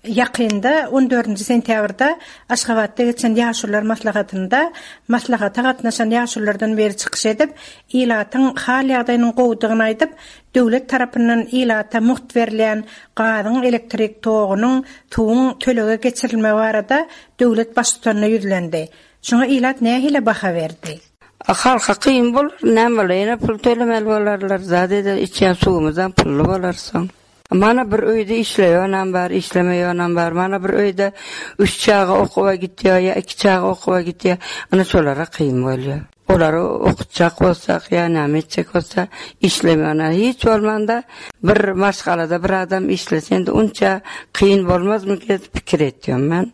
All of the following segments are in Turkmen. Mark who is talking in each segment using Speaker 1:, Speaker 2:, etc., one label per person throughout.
Speaker 1: Ýakynda, on dördünji sentýabrda Aşgabatda geçen Ýaşulular maslahatynda maslahata gatnaşan ýaşululardan biri çykyş edip, ilatyň hal-ýagdaýynyň gowudygyny aýdyp, döwlet tarapyndan ilata mugt berilýän gazyň, elektrik togunyň, suwuň tölege geçirilmegi barada döwlet Baştutanyna ýüzlendi. Şuňa ilat nähili baha berdi?
Speaker 2: Halka kyn bolar, näme bolar, ýene pul tölemeli bolarlar, zat eder, içýän suwumyzam pully bolar soň. Mana bir öýde işleýänam bar, işlemeýänam bar. Mana bir öýde üç çaga okuwa gitýär ýa iki çaga okuwa gitýär. Ana şolara kyn bolýar. Olary okutjak bolsak ýa näme etjek bolsa işlemeýän. Hiç bolmanda bir maşgalada bir adam işlese indi unça kyn bolmazmy diýip pikir etýän men.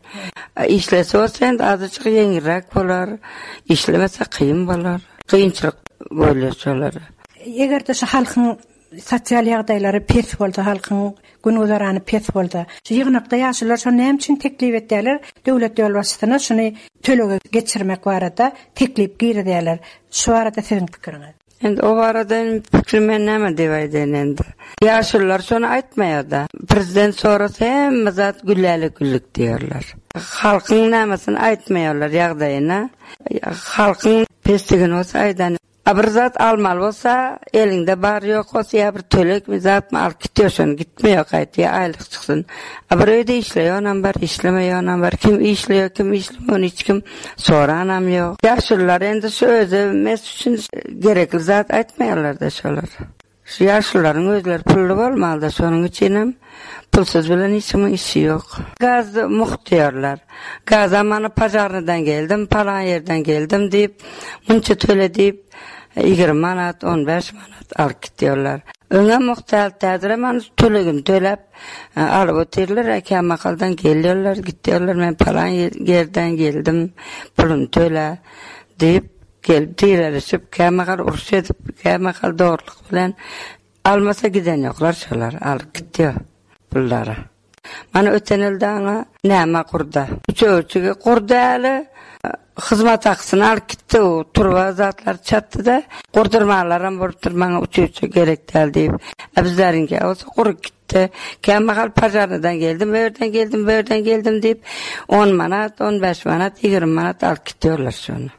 Speaker 2: Işlese bolsa indi azajyk ýeňilräk bolar. Işlemese kyn bolar. Kynçylyk bolýar şolara.
Speaker 1: Eger-de şu halkyň Sosial ýagdaýlary pes bolsa, halkyň gün-güzerany pes bolsa, şu ýygnakda ýaşulular şony näme üçin teklip etýärler? Döwlet ýolbaşçysyna şuny tölege geçirmek barada teklip girizýärler. Şu barada siziň pikiriňiz?
Speaker 2: Indi o barada indi pikirim men näme diýip aýdaýyn indi. Ýaşulular şony aýtmaýar-da. Prezident sorasa hemme zat gülläle-güllük diýerler. Halkyň nämesini aýtmaýarlar ýagdaýyny. Halkyň pesligini bolsa aýdan. A bir zat almaly bolsa, eliňde bar ýok bolsa ýa bir tölegmi zatmy alyp gitýär şony gitmeýär gaýta ýa aýlyk çyksyn. A bir öýde işleýänam bar, işlemeýänam bar. Kim işleýär, kim işlemeýär ony hiç kim soranam ýok. Ýaşulular indi şu özi mes üçin gerekli zat aýtmaýarlar-da şolar. Şu ýaşulularyň özleri pully bolmalyda şonuň üçinem pulsuz bilen hiç kimiň işi ýok. Gaz mugt diýerler. Gazam mana pažarnydan geldim, palan ýerden geldim diýip, munça töle diýip, 20 manat, 15 manat alyp gitýärler. Öňem mugt däldi, häzirem ana tölegini töläp alyp otyrlar, kämahaldan gelýärler, gitýärler, men palan ýerden geldim, puluny töle diýip. Gelip direlişip, kämahal uruş edip, kämahal dogrulyk bilen almasa giden ýoklar şolar, alyp gitýär pullary. Mana öten ýyl daňa näme gurda. Üçegçigi gurdy äli, hyzmat hakysyny alyp gitdi, o turba zatlary çatdy-da, gurdurmanlaram bolupdyr, maňa uçuwçy gerek däl diýip. A bizleriňki bolsa gurup gitdi. Kämahal pažarnydan geldim, o ýerden geldim, bu ýerden geldim diýip, on manat, on bäş manat, 20 manat alyp gitýärler şony.